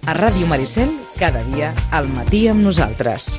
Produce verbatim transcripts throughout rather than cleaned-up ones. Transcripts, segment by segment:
A Ràdio Maricel, cada dia al matí amb nosaltres.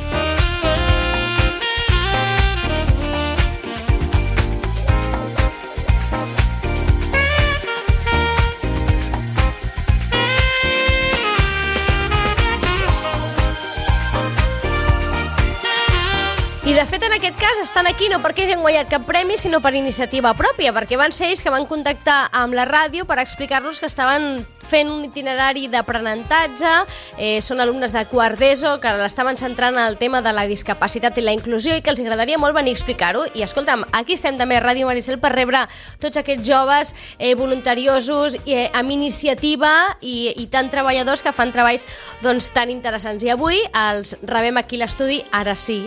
I de fet en aquest cas estan aquí no perquè hagin guanyat cap premi, sinó per iniciativa pròpia, perquè van ser ells que van contactar amb la ràdio per explicar-nos que estaven fent un itinerari d'aprenentatge, eh, són alumnes de quart d'ESO que l'estaven centrant en el tema de la discapacitat i la inclusió i que els agradaria molt venir a explicar-ho. I escolta'm, aquí estem també a Ràdio Maricel per rebre tots aquests joves eh, voluntariosos eh, amb iniciativa i, i tan treballadors que fan treballs doncs, tan interessants. I avui els rebem aquí a l'estudi, ara sí,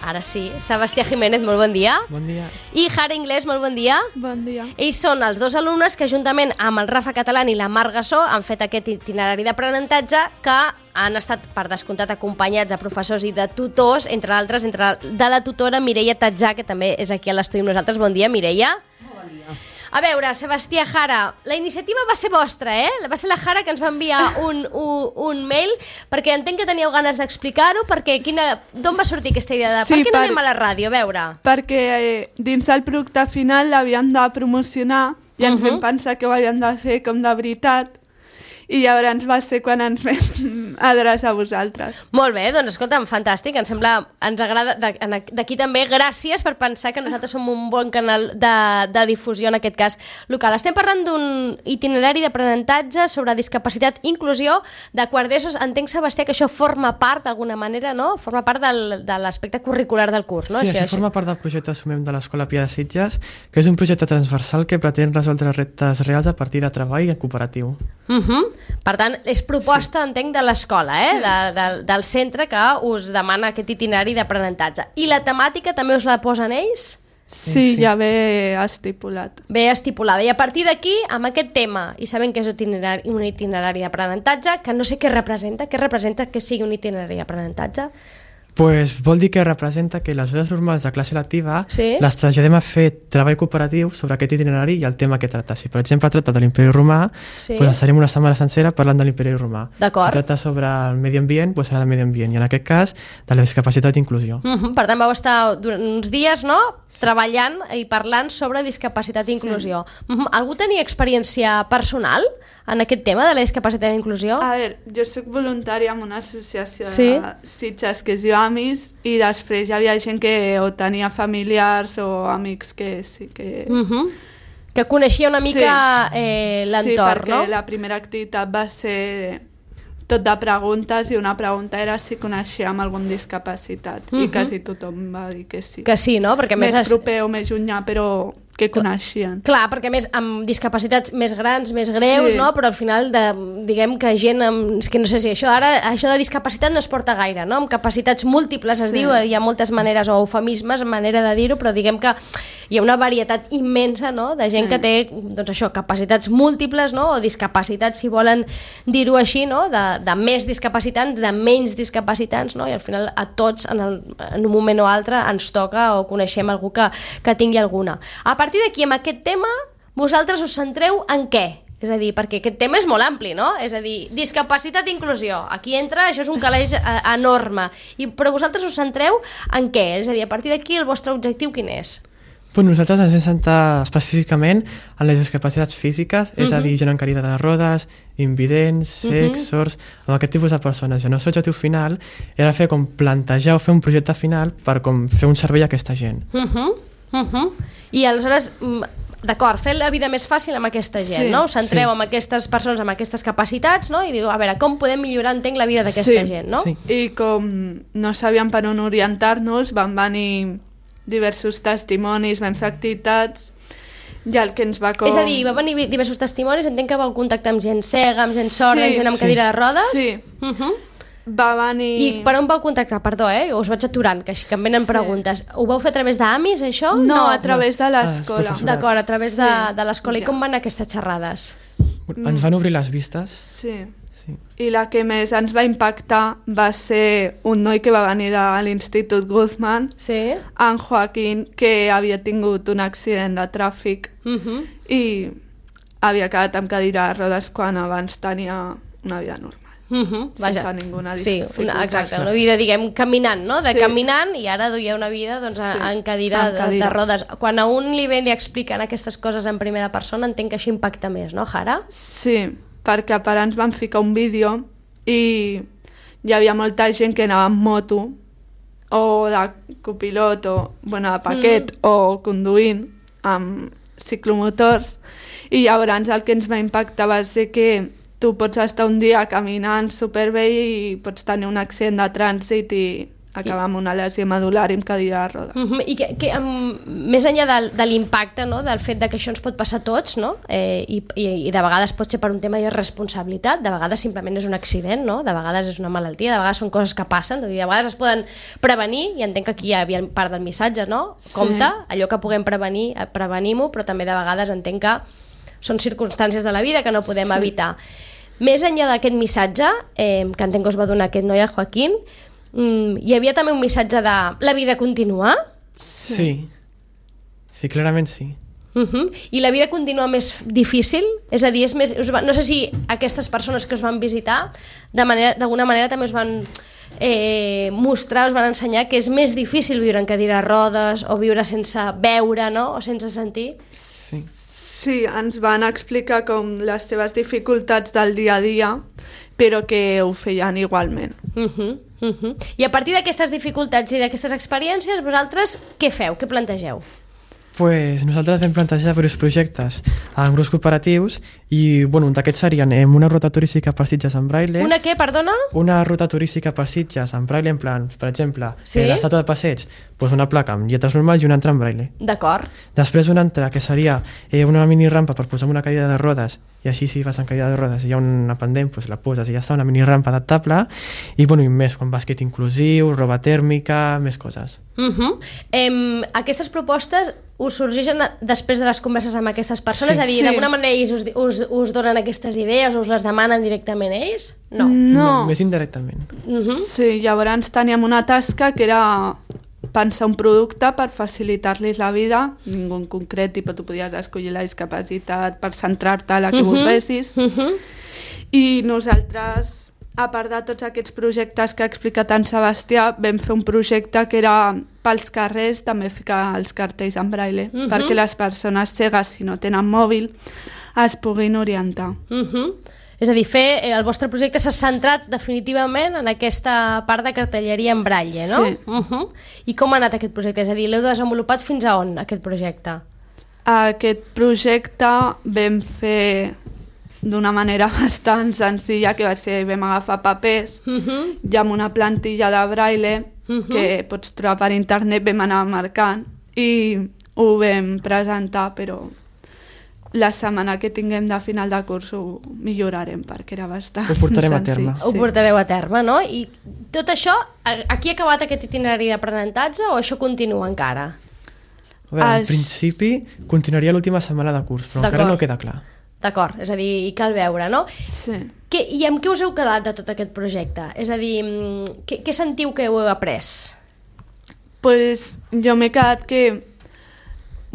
Ara sí. Sebastià Jiménez, molt bon dia. Bon dia. I Jara Inglés, molt bon dia. Bon dia. Ells són els dos alumnes que juntament amb el Rafa Catalán i la Mar Gassó han fet aquest itinerari d'aprenentatge que han estat, per descomptat, acompanyats de professors i de tutors, entre altres, entre de la tutora Mireia Tatjà, que també és aquí a l'estudi amb nosaltres. Bon dia, Mireia. Bon dia. A veure, Sebastià, Jara, la iniciativa va ser vostra, eh? Va ser la Jara que ens va enviar un, un, un mail, perquè entenc que teníeu ganes d'explicar-ho, perquè quina, d'on va sortir aquesta idea de sí, per què no per, anem a la ràdio, a veure? Perquè eh, dins el producte final l'havíem de promocionar i ens uh -huh. vam pensar que ho havíem de fer com de veritat, i llavors va ser quan ens vam adreçar a vosaltres. Molt bé, doncs escolta'm, fantàstic, ens sembla, ens agrada, d'aquí també gràcies per pensar que nosaltres som un bon canal de, de difusió, en aquest cas local. Estem parlant d'un itinerari d'aprenentatge sobre discapacitat i inclusió de quart d'ESO. Entenc, Sebastià, que això forma part d'alguna manera, no? Forma part del, de l'aspecte curricular del curs, no? Sí, això, això forma part del projecte Assumem de l'Escola Pia de Sitges, que és un projecte transversal que pretén resoldre reptes reals a partir de treball en cooperatiu. Uh -huh. Per tant, és proposta, sí. entenc, de l'escola, eh? de, de, del centre que us demana aquest itinerari d'aprenentatge. I la temàtica també us la posen ells? Sí, sí, sí. ja ve estipulat. Ve estipulada. I a partir d'aquí, amb aquest tema, i sabem que és un itinerari, un itinerari d'aprenentatge, que no sé què representa, què representa que sigui un itinerari d'aprenentatge? Pues vol dir que representa que les hores normals de classe lectiva sí? les traslladem a fer treball cooperatiu sobre aquest itinerari i el tema que tracta. Si, per exemple, tracta de l'imperi romà, sí? pues estarem una setmana sencera parlant de l'imperi romà. D'acord. Si tracta sobre el medi ambient, pues serà de medi ambient. I en aquest cas, de la discapacitat i inclusió. Uh -huh. Per tant, vau estar durant uns dies, no?, treballant i parlant sobre discapacitat i inclusió. Sí. Uh -huh. Algú tenia experiència personal en aquest tema de la discapacitat i inclusió? A veure, jo soc voluntària en una associació sí? de Sitges que es diu Amis, i després hi havia gent que o tenia familiars o amics que sí que... Uh -huh. Que coneixia una mica sí. eh, l'entorn, sí, no? Sí, perquè la primera activitat va ser tot de preguntes i una pregunta era si coneixíem algun discapacitat uh -huh. i quasi tothom va dir que sí. Que sí, no? Perquè més més proper o més llunyà, però que coneixien. Clar, perquè més amb discapacitats més grans, més greus, sí. no? Però al final, de, diguem que gent amb... És que no sé si això ara, això de discapacitat no es porta gaire, no? Amb capacitats múltiples es sí. diu, hi ha moltes maneres, o eufemismes, manera de dir-ho, però diguem que hi ha una varietat immensa, no?, de gent sí. que té, doncs això, capacitats múltiples, no?, o discapacitats, si volen dir-ho així, no?, de, de més discapacitants, de menys discapacitants, no?, i al final a tots, en, el, en un moment o altre, ens toca o coneixem algú que, que tingui alguna. A partir d'aquí, amb aquest tema, vosaltres us centreu en què? És a dir, perquè aquest tema és molt ampli, no? És a dir, discapacitat i inclusió. Aquí entra, això és un calaix eh, enorme. I, però vosaltres us centreu en què? És a dir, a partir d'aquí, el vostre objectiu quin és? Pues nosaltres ens hem centrat específicament en les discapacitats físiques, és uh -huh. a dir, gent en cadira de rodes, invidents, cecs, uh -huh. sords, amb aquest tipus de persones. I el nostre objectiu final era fer com plantejar o fer un projecte final per com fer un servei a aquesta gent. Uh -huh. Uh -huh. I aleshores, d'acord, fer la vida més fàcil amb aquesta gent, sí, no? Us centreu sí. amb aquestes persones amb aquestes capacitats, no? I diu, a veure, com podem millorar, entenc, la vida d'aquesta sí, gent, no? Sí. I com no sabíem per on orientar-nos, van venir diversos testimonis, vam fer activitats, i el que ens va com... És a dir, va venir diversos testimonis, entenc que vau contactar amb gent cega, amb gent sorda, sí, amb gent amb sí. cadira de rodes? Sí. Uh -huh. Va venir... I per on vau contactar? Perdó, eh? Us vaig aturant, que així que em venen sí. preguntes. Ho vau fer a través d'Amis, això? No, no, a través de l'escola. Ah, d'acord, a través sí. de, de l'escola. I ja. com van aquestes xerrades? Ens van obrir les vistes. Sí. sí. I la que més ens va impactar va ser un noi que va venir de l'Institut Guzmán, sí. en Joaquín, que havia tingut un accident de tràfic uh -huh. i havia quedat amb cadira de rodes quan abans tenia una vida normal. Uh -huh, sense vaja. ninguna dificultat. Sí, una, exacte, una vida, diguem, caminant, no? De sí. caminant, i ara duia una vida doncs, sí. en cadira, en cadira. De, de rodes. Quan a un li ven li expliquen aquestes coses en primera persona, entenc que això impacta més, no, Jara? Sí, perquè a part ens van ficar un vídeo i hi havia molta gent que anava amb moto o de copilot o bueno, de paquet mm. o conduint amb ciclomotors, i llavors el que ens va impactar va ser que tu pots estar un dia caminant superbé i pots tenir un accident de trànsit i acabar amb una lesió medular i amb cadira de rodes. Uh -huh. I que, que um, més enllà de, de l'impacte, no? Del fet de que això ens pot passar a tots, no? eh, i, i, i de vegades pot ser per un tema de responsabilitat, de vegades simplement és un accident, no? De vegades és una malaltia, de vegades són coses que passen, i de vegades es poden prevenir, i entenc que aquí hi havia part del missatge, no? Sí. Compte, allò que puguem prevenir, prevenim-ho, però també de vegades entenc que són circumstàncies de la vida que no podem sí. evitar. Més enllà d'aquest missatge, eh, que entenc que us va donar aquest noi, el Joaquín, mm, hi havia també un missatge de la vida continua? Sí. Sí, sí, clarament sí. Uh -huh. I la vida continua més difícil? És a dir, és més, us va, no sé si aquestes persones que us van visitar d'alguna manera, manera també us van eh, mostrar, us van ensenyar que és més difícil viure en cadira de rodes o viure sense veure, no? O sense sentir? Sí. Sí, ens van explicar com les seves dificultats del dia a dia, però que ho feien igualment. Uh -huh, uh -huh. I a partir d'aquestes dificultats i d'aquestes experiències, vosaltres què feu? Què plantegeu? Pues nosaltres vam plantejar diversos projectes en grups cooperatius i bueno, un d'aquests serien eh, una ruta turística per Sitges en braille. Una què, perdona? Una ruta turística per Sitges en braille, en plan, per exemple, sí? eh, l'estàtua de passeig, pues una placa amb lletres normals i una altra en braille. D'acord. Després una altra que seria eh, una mini rampa per posar una cadira de rodes, i així si vas en cadira de rodes i hi ha una pendent, pues la poses i ja està, una mini rampa adaptable, i bueno, i més, com bàsquet inclusiu, roba tèrmica, més coses. Uh -huh. eh, aquestes propostes us sorgeixen després de les converses amb aquestes persones? Sí, és a dir, sí. d'alguna manera ells us, us, us donen aquestes idees o us les demanen directament ells? No. No. no més indirectament. Uh -huh. Sí, llavors teníem una tasca que era pensar un producte per facilitar-los la vida, ningú en concret, i tu podies escollir la discapacitat per centrar-te a la que uh -huh. volguessis. Uh -huh. I nosaltres, a part de tots aquests projectes que ha explicat en Sebastià, vam fer un projecte que era pels carrers, també ficar els cartells en braille, uh -huh. perquè les persones cegues, si no tenen mòbil, es puguin orientar. Uh -huh. És a dir, fer, el vostre projecte s'ha centrat definitivament en aquesta part de cartelleria en braille, no? Sí. Uh -huh. I com ha anat aquest projecte? És a dir, l'heu desenvolupat fins a on, aquest projecte? Aquest projecte vam fer d'una manera bastant senzilla, que va ser, vam agafar papers uh -huh. i amb una plantilla de braille uh -huh. que pots trobar per internet vam anar marcant i ho vam presentar, però la setmana que tinguem de final de curs ho millorarem perquè era bastant ho portarem senzill. a terme. Sí. Ho portareu a terme, no? I tot això, aquí ha acabat aquest itinerari d'aprenentatge o això continua encara? A veure, en Aš... principi continuaria l'última setmana de curs, però encara no queda clar. D'acord, és a dir, cal veure, no? Sí. Que, I amb què us heu quedat de tot aquest projecte? És a dir, què, què sentiu que heu après? Pues jo m'he quedat que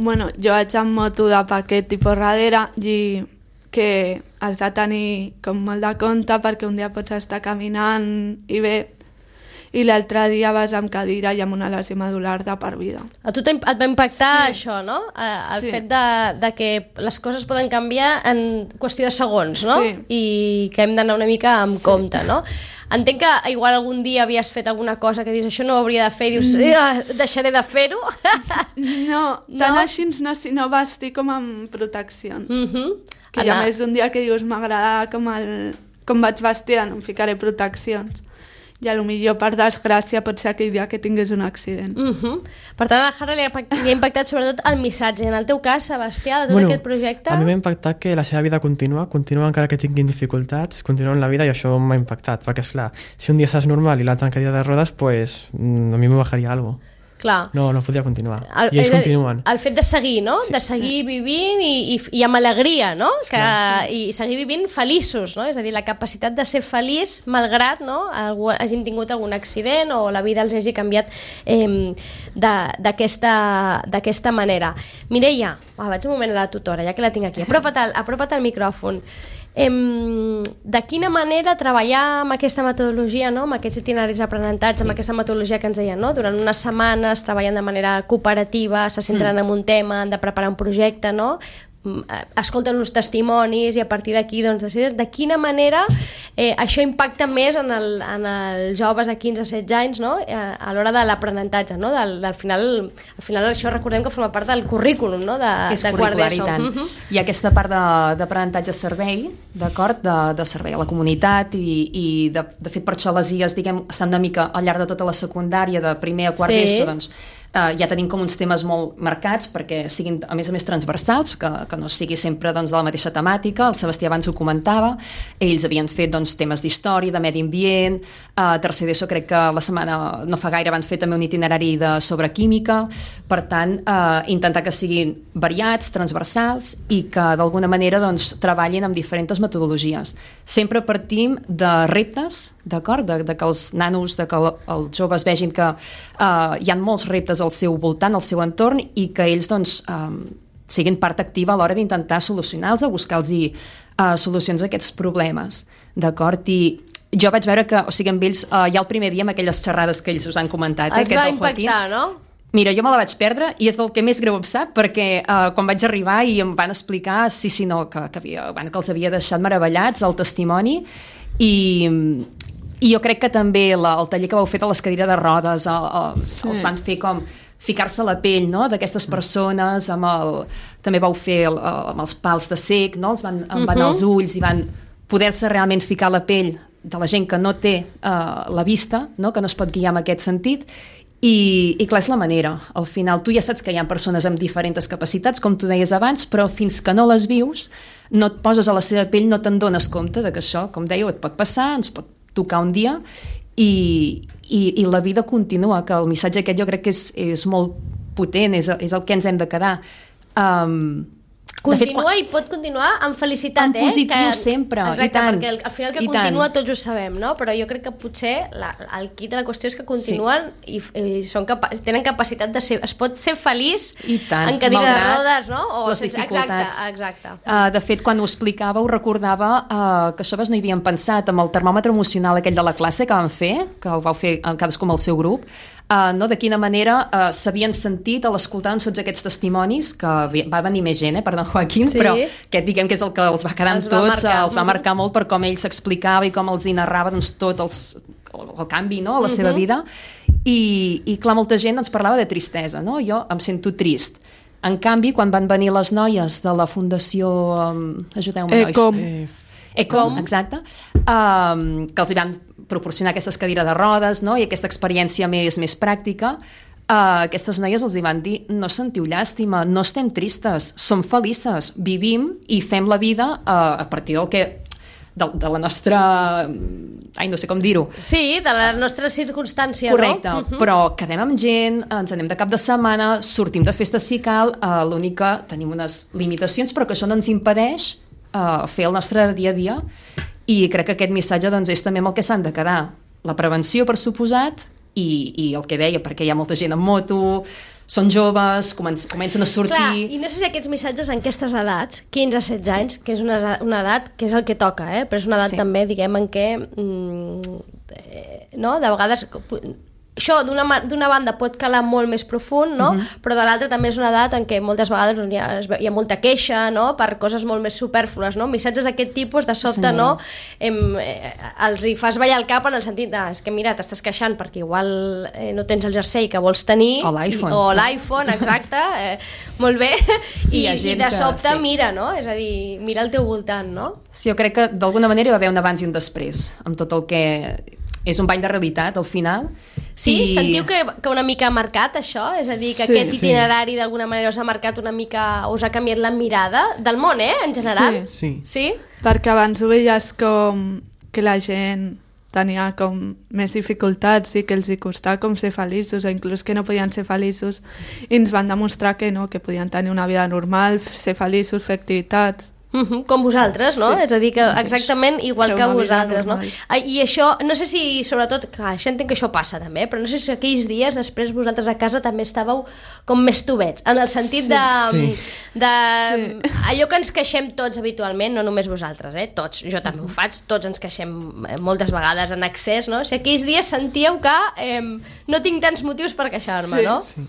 bueno, jo vaig amb moto de paquet tipus darrere i que has de tenir com molt de compte perquè un dia pots estar caminant i bé i l'altre dia vas amb cadira i amb una lesió medular de per vida. A tu et va impactar sí. això, no? El sí. fet de, de que les coses poden canviar en qüestió de segons, no? Sí. I que hem d'anar una mica amb sí. compte, no? Entenc que igual algun dia havies fet alguna cosa que dius això no ho hauria de fer i dius eh, deixaré de fer-ho. No, tant no? Així no, sinó vestir com amb proteccions. Mm -hmm. Que hi ha més d'un dia que dius m'agrada com, el, com vaig vestir, no em ficaré proteccions. I a lo millor per desgràcia pot ser aquell dia que tingués un accident. Uh -huh. Per tant, a la Jara li ha, li ha impactat sobretot el missatge. En el teu cas, Sebastià, de tot bueno, aquest projecte... A mi m'ha impactat que la seva vida continua, continua encara que tinguin dificultats, continua en la vida i això m'ha impactat, perquè és clar, si un dia estàs normal i l'altre en cadira de rodes, pues a mi me bajaria algo. Clar. No, no podria continuar. El, I ells continuen. El fet de seguir, no? Sí, de seguir sí. vivint i, i, i amb alegria, no? Que, Clar, sí. I seguir vivint feliços, no? És a dir, la capacitat de ser feliç malgrat, no? Algú, hagin tingut algun accident o la vida els hagi canviat eh, d'aquesta manera. Mireia, oh, vaig un moment a la tutora, ja que la tinc aquí. Apropa't al, apropa't al micròfon. Em, de quina manera treballar amb aquesta metodologia, no? Amb aquests itineraris d'aprenentatge, amb aquesta metodologia que ens deien, no? Durant unes setmanes treballen de manera cooperativa, se centren mm. en un tema, han de preparar un projecte, no? Escolten uns testimonis i a partir d'aquí doncs, decides de quina manera eh, això impacta més en, el, en els joves de quinze a setze anys, no? eh, a l'hora de l'aprenentatge, no? del, del final, al final això recordem que forma part del currículum, no? de, és de curricular i quart tant. Uh -huh. I aquesta part d'aprenentatge servei, d'acord, de, de servei a la comunitat i, i de, de fet per això les I As, diguem, estan una mica al llarg de tota la secundària, de primer a quart sí. d'ESO, doncs Uh, ja tenim com uns temes molt marcats perquè siguin a més a més transversals, que, que no sigui sempre doncs, de la mateixa temàtica. El Sebastià abans ho comentava, ells havien fet doncs, temes d'història, de medi ambient, a uh, tercer d'ESO crec que la setmana no fa gaire van fer també un itinerari de, sobre química, per tant uh, intentar que siguin variats, transversals i que d'alguna manera doncs, treballin amb diferents metodologies. Sempre partim de reptes, d'acord? De, de que els nanos, de que els joves vegin que uh, hi ha molts reptes al seu voltant, al seu entorn i que ells doncs, um, siguin part activa a l'hora d'intentar solucionar-los o buscar-los uh, solucions a aquests problemes, d'acord? I jo vaig veure que, o sigui, amb ells, uh, ja el primer dia amb aquelles xerrades que ells us han comentat, eh, els va impactar, no? Mira, jo me la vaig perdre i és del que més greu em sap perquè uh, quan vaig arribar i em van explicar sí, sí, no, que, que, havia, bueno, que els havia deixat meravellats el testimoni i... I jo crec que també la, el taller que vau fer de les cadires de rodes el, el, sí. els van fer com ficar-se a la pell, no?, d'aquestes persones, amb el, també vau fer el, amb els pals de cec, no?, els van, uh-huh. van als ulls i van poder-se realment ficar a la pell de la gent que no té uh, la vista, no?, que no es pot guiar en aquest sentit. I, i clar, és la manera. Al final tu ja saps que hi ha persones amb diferents capacitats, com tu deies abans, però fins que no les vius, no et poses a la seva pell, no te'n dones compte de que això, com dèieu, et pot passar, ens pot tocar un dia i, i, i la vida continua, que el missatge aquest jo crec que és, és molt potent, és, és el que ens hem de quedar. Um, Continua fet, quan... i pot continuar amb felicitat, en eh? positiu que... sempre, exacte, i tant. Perquè el, al final que I continua tant. tots ho sabem, no? Però jo crec que potser la, el quid de la qüestió és que continuen sí. i, i són capa tenen capacitat de ser... Es pot ser feliç tant, en cadira de rodes, no? O les ser, dificultats. Exacte, exacte. Uh, de fet, quan ho explicava, ho recordava uh, que això no hi havien pensat amb el termòmetre emocional aquell de la classe que van fer, que ho vau fer cadascú amb el seu grup, Uh, no? De quina manera uh, s'havien sentit a l'escoltar tots aquests testimonis, que va venir més gent, eh, perdó, Joaquín, sí. però aquest diguem que és el que els va quedar amb tots, va els va marcar molt per com ell s'explicava i com els hi narrava doncs, tot els, el, el canvi, no?, a la uh-huh. seva vida. I, i clar, molta gent doncs, parlava de tristesa, no? Jo em sento trist. En canvi, quan van venir les noies de la Fundació... Um, Ajudeu-me, nois. Ecom. Ecom, exacte, um, que els hi van proporcionar aquestes cadires de rodes, no?, i aquesta experiència més, més pràctica, uh, aquestes noies els hi van dir no sentiu llàstima, no estem tristes, som felices, vivim i fem la vida uh, a partir del que de, de la nostra... Ai, no sé com dir-ho. Sí, de la nostra circumstància, correcte, no? Correcte, uh-huh. però quedem amb gent, ens anem de cap de setmana, sortim de festa si cal, uh, l'únic que tenim unes limitacions, però que això no ens impedeix uh, fer el nostre dia a dia. I crec que aquest missatge doncs, és també amb el que s'han de quedar. La prevenció, per suposat, i, i el que deia, perquè hi ha molta gent en moto, són joves, comencen, comencen a sortir... Clar, i no sé si aquests missatges en aquestes edats, quinze a setze anys, que és una, una edat que és el que toca, eh? Però és una edat sí. també, diguem, en què... Mm, eh, no? De vegades... Això d'una banda pot calar molt més profund, no? Uh-huh. Però de l'altra també és una edat en què moltes vegades doncs, hi, ha, hi ha molta queixa, no?, per coses molt més supèrflues, no? Missatges d'aquest tipus, de sobte, sí. no? Em, eh, els hi fas ballar el cap en el sentit de, és que mira, t'estàs queixant perquè igual eh, no tens el jersei que vols tenir. O l'iPhone. O l'iPhone, exacte. Eh, molt bé. I, I, i de sobte que, sí. mira, no? És a dir, mira al teu voltant, no? Sí, jo crec que d'alguna manera hi va haver un abans i un després, amb tot el que... És un bany de realitat, al final. Sí? I... Sentiu que, que una mica ha marcat això? És a dir, que sí, aquest itinerari sí. d'alguna manera us ha marcat una mica, us ha canviat la mirada del món, eh, en general? Sí. Sí? Sí? Perquè abans ho veies com que la gent tenia com més dificultats i que els hi costava com ser feliços o inclús que no podien ser feliços i ens van demostrar que no, que podien tenir una vida normal, ser feliços, fer activitats Uh-huh, com vosaltres, no? Sí. És a dir, que exactament igual Feu que una vida vosaltres, no? normal. Ah, I això, no sé si, sobretot, clar, això entenc que això passa també, però no sé si aquells dies després vosaltres a casa també estàveu com més tubets, en el sentit Sí, de... sí. de Sí. allò que ens queixem tots habitualment, no només vosaltres, eh? Tots, jo també ho faig, tots ens queixem eh, moltes vegades en excés, no? Si aquells dies sentíeu que eh, no tinc tants motius per queixar-me, Sí. no? Sí.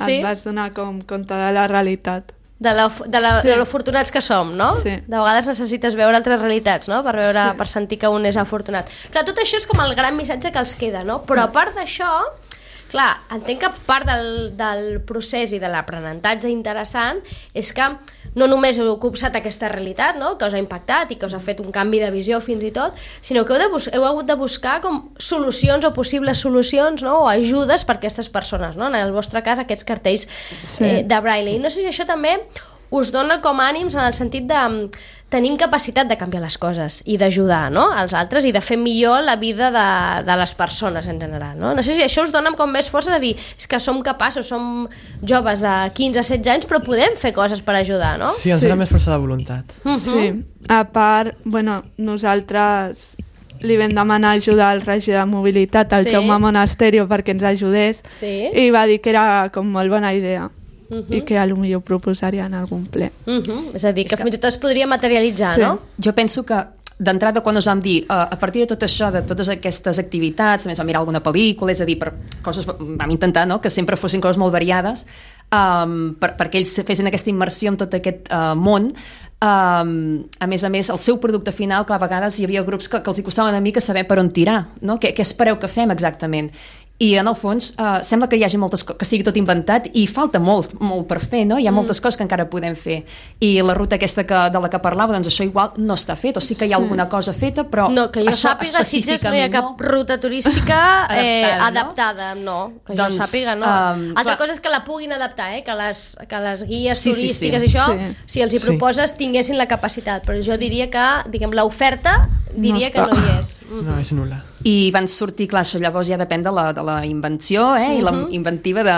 Sí? Et vas donar com compte de la realitat. De, la, de, la, Sí. de lo afortunats que som, no? Sí. De vegades necessites veure altres realitats, no? Per, veure, Sí. per sentir que un és afortunat. Clar, tot això és com el gran missatge que els queda, no? Però a part d'això, clar, entenc que part del, del procés i de l'aprenentatge interessant és que no només heu copsat aquesta realitat, no? Que us ha impactat i que us ha fet un canvi de visió fins i tot, sinó que heu, de bus heu hagut de buscar com solucions o possibles solucions, no? O ajudes per a aquestes persones, no? En el vostre cas, aquests cartells Sí. eh, de Braille. I no sé si això també us dona com ànims en el sentit de mm, tenim capacitat de canviar les coses i d'ajudar, no? als altres i de fer millor la vida de, de les persones en general, no? No sé si això us dona com més força de dir, és que som capaços, som joves de quinze a setze anys, però podem fer coses per ajudar, no? Sí, ens Sí. dona més força de voluntat. Sí. A part, bueno, nosaltres li vam demanar ajuda al regidor de mobilitat, al Sí. Jaume Monasterio, perquè ens ajudés, Sí. i va dir que era com molt bona idea i que a lo millor proposaria en algun ple. Uh -huh. És a dir, que, que fins i tot es podria materialitzar, Sí. no? Jo penso que d'entrada quan us vam dir uh, a partir de tot això, de totes aquestes activitats també ens vam mirar alguna pel·lícula, és a dir per coses, vam intentar no? que sempre fossin coses molt variades um, per, perquè ells fessin aquesta immersió en tot aquest uh, món. Um, a més a més, el seu producte final, clar, a vegades hi havia grups que, que els hi costava una mica saber per on tirar, no? Què, què espereu que fem exactament? I en el fons uh, sembla que hi hagi moltes coses, que estigui tot inventat i falta molt, molt per fer, no? Hi ha moltes mm. coses que encara podem fer. I la ruta aquesta que, de la que parlava, doncs això igual no està fet, o sí que hi ha Sí. alguna cosa feta, però No, que jo això sàpiga, a Sitges no hi ha cap no. ruta turística eh, Adaptada, no? adaptada, no? Que Doncs, jo sàpiga, no. um, Altra clar. cosa és que la puguin adaptar, eh? que, les, que les guies Sí, sí, turístiques sí. i això, Sí. si els hi Sí. proposes, tinguessin la capacitat. Però jo diria que, diguem, l'oferta diria No que està. no hi és. Mm. No, és nul·la. I van sortir, clar, això llavors ja depèn de la, de la invenció eh? i la inventiva de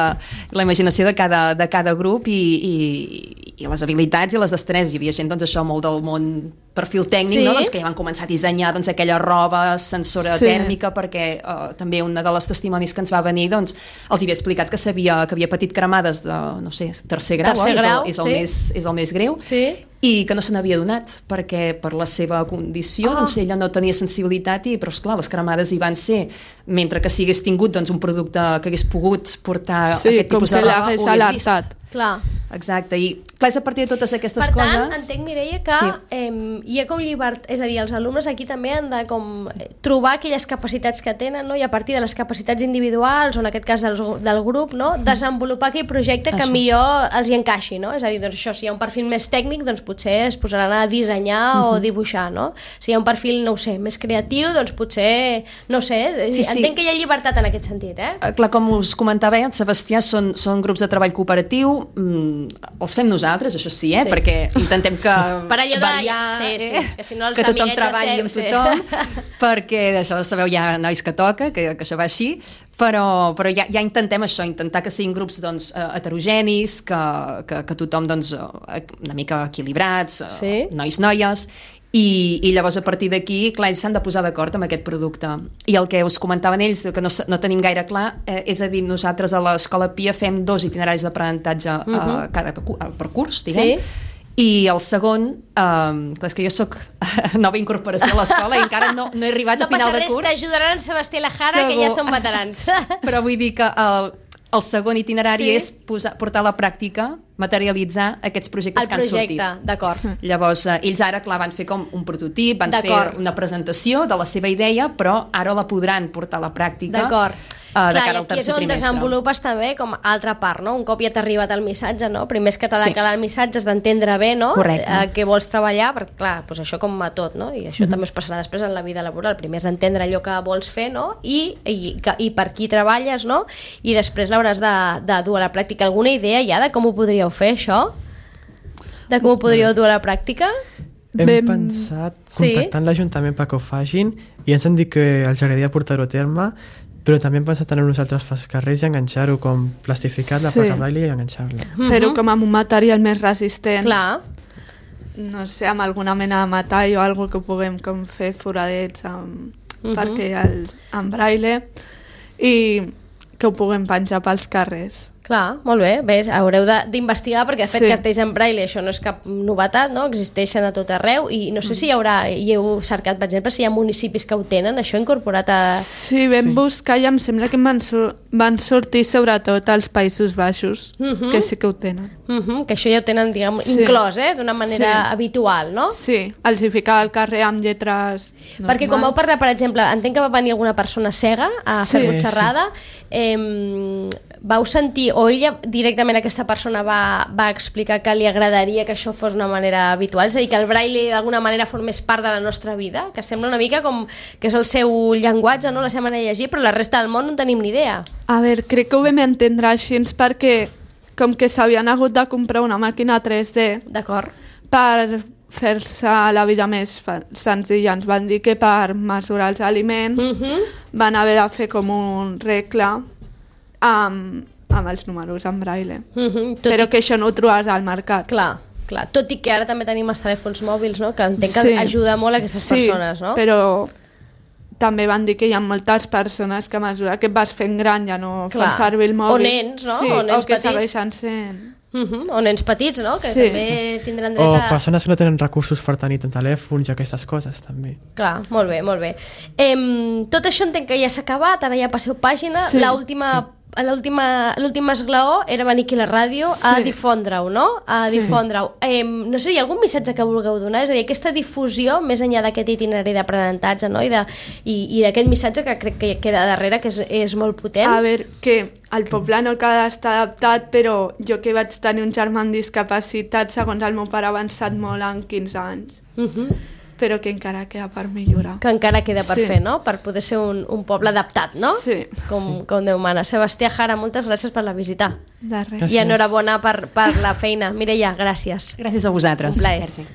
la imaginació de cada, de cada grup i, i, i les habilitats i les destreses. Hi havia gent, doncs, això, molt del món perfil tècnic, Sí. no? Doncs, que ja van començar a dissenyar doncs, aquella roba sensora Sí. tèrmica, perquè uh, també una de les testimonis que ens va venir doncs, els havia explicat que sabia que havia patit cremades de, no sé, tercer grau, Tercer oi? grau, és, el, és, el sí. més, és el més greu, Sí. i que no se n'havia donat perquè per la seva condició Ah. doncs, ella no tenia sensibilitat i, però esclar, les cremades hi van ser mentre que si hagués tingut doncs, un producte que hagués pogut portar Sí, aquest com tipus que de roba, l'hagués ho hagués vist. alertat. Clar. Exacte, i clar, és a partir de totes aquestes Per tant, coses... entenc, Mireia, que Sí. eh, hi ha com llibertat, és a dir, els alumnes aquí també han de com eh, trobar aquelles capacitats que tenen, no? I a partir de les capacitats individuals, o en aquest cas del, del grup, no? Desenvolupar aquell projecte que Això. millor els hi encaixi, no? És a dir, doncs això, si hi ha un perfil més tècnic, doncs potser es posaran a dissenyar o dibuixar, no? Si hi ha un perfil, no ho sé, més creatiu, doncs potser, no sé, Sí, sí. entenc que hi ha llibertat en aquest sentit, eh? Eh, Clar, com us comentava, eh, el Sebastià són, són grups de treball cooperatiu, mm, els fem nosaltres, això sí, eh? Sí. perquè intentem que Per allò de- variar, sí, sí, eh? que si no els que tothom amiguets de treballi amb ser- tothom, sí. perquè això sabeu, hi ha nois que toca, que, que això va així, però, però ja, ja intentem això, intentar que siguin grups doncs, eh, heterogenis, que, que, que tothom doncs, eh, una mica equilibrats, eh, Sí. nois, noies, i, i llavors a partir d'aquí, clar, ells s'han de posar d'acord amb aquest producte. I el que us comentaven ells, que no, no tenim gaire clar, eh, és a dir, nosaltres a l'Escola Pia fem dos itineraris d'aprenentatge uh -huh. eh, cada cu- eh, per curs, diguem, Sí. i el segon, eh, clar, és que jo sóc nova incorporació a l'escola i encara no, no he arribat No a final passa de res, curs. t'ajudaran en Sebastià i la Jara, que Segur. ja són veterans. Però vull dir que el, el segon itinerari Sí. és posar, portar a la pràctica, materialitzar aquests projectes El que han sortit. projecte, d'acord. Llavors, eh, ells ara, clar, van fer com un prototip, van fer D'acord. una presentació de la seva idea, però ara la podran portar a la pràctica D'acord. eh, de Clar, cara i al aquí és tercer on trimestre. desenvolupes també com altra part, no? Un cop ja t'ha arribat el missatge, no? Primer és que t'ha de Sí. calar el missatge, has d'entendre bé, no? Correcte. Eh, què vols treballar, perquè clar, doncs això com a tot, no? I això mm -hmm. també es passarà després en la vida laboral. Primer és d'entendre allò que vols fer, no? I, i, que, i per qui treballes, no? I després l'hauràs de, de dur a la pràctica. Alguna idea ja de com ho podríeu fer, això? De com ho podríeu dur a la pràctica? Hem Vam- pensat Sí. contactant l'Ajuntament perquè ho facin i ens han dit que els agradaria portar-ho a terme, però també hem pensat en nosaltres pels carrers i enganxar-ho com plastificar la Sí. placa braille i enganxar-la. Fer-ho com amb un material més resistent. Clar. no sé, amb alguna mena de metall o alguna que puguem com fer foradets amb, uh -huh. perquè el, en braille i que ho puguem penjar pels carrers. Clar, molt bé, bé, haureu d'investigar perquè de fet Sí. cartells en braille això no és cap novetat, no? Existeixen a tot arreu i no sé si hi haurà, hi heu cercat per exemple si hi ha municipis que ho tenen, això incorporat a... Sí, vam Sí. buscar i em sembla que van, sur van sortir sobretot als Països Baixos, Uh -huh. que sí que ho tenen. Uh -huh, que això ja ho tenen, diguem, Sí. inclòs, eh? D'una manera Sí. habitual, no? Sí, els hi ficava al carrer amb lletres normals. Perquè com vau parlar, per exemple, entenc que va venir alguna persona cega a Sí, fer-vos xerrada, eh, vau sentir, o ella directament aquesta persona va, va explicar que li agradaria que això fos una manera habitual, és a dir, que el braille d'alguna manera formés part de la nostra vida, que sembla una mica com que és el seu llenguatge, no? La seva manera de llegir, però la resta del món no en tenim ni idea. A veure, crec que ho vam entendre així perquè com que s'havien hagut de comprar una màquina tres D D'acord? per fer-se la vida més fa- senzilla. Ens van dir que per mesurar els aliments Uh -huh. van haver de fer com un regle amb, amb els números en braille. Uh -huh. Tot Però i... que això no ho trobaràs al mercat. Clar, clar. Tot i que ara també tenim els telèfons mòbils, no? Que entenc que Sí. ajuda molt a aquestes sí, persones, no? però també van dir que hi ha moltes persones que a mesura que et vas fent gran ja no Clar. fan servir el mòbil. O nens, no? Sí, O nens o que petits. segueixen sent... Uh -huh. O nens petits, no? Que Sí. també tindran dret O a... persones que no tenen recursos per tenir telèfons i aquestes coses, també. Clar, molt bé, molt bé. Em, tot això entenc que ja s'ha acabat, ara ja passeu pàgina. Sí, L'última l'última l'últim esglaó era venir aquí a la ràdio a Sí. difondre-ho, no? A Sí. difondre-ho. Em, no sé, hi ha algun missatge que vulgueu donar? És a dir, aquesta difusió, més enllà d'aquest itinerari d'aprenentatge, no? I de- i, i d'aquest missatge que crec que queda darrere, que és, és molt potent. A veure, que el poble no cal estar adaptat, però jo que vaig tenir un germà amb discapacitat, segons el meu pare ha avançat molt en quinze anys, Uh -huh. però que encara queda per millorar. Que encara queda per Sí. fer, no? Per poder ser un, un poble adaptat, no? Sí. Com, com Déu mana. Sebastià Jara, moltes gràcies per la visita. De res. Gràcies. I enhorabona per, per la feina. Mireia, gràcies. Gràcies a vosaltres. Un plaer. Merci.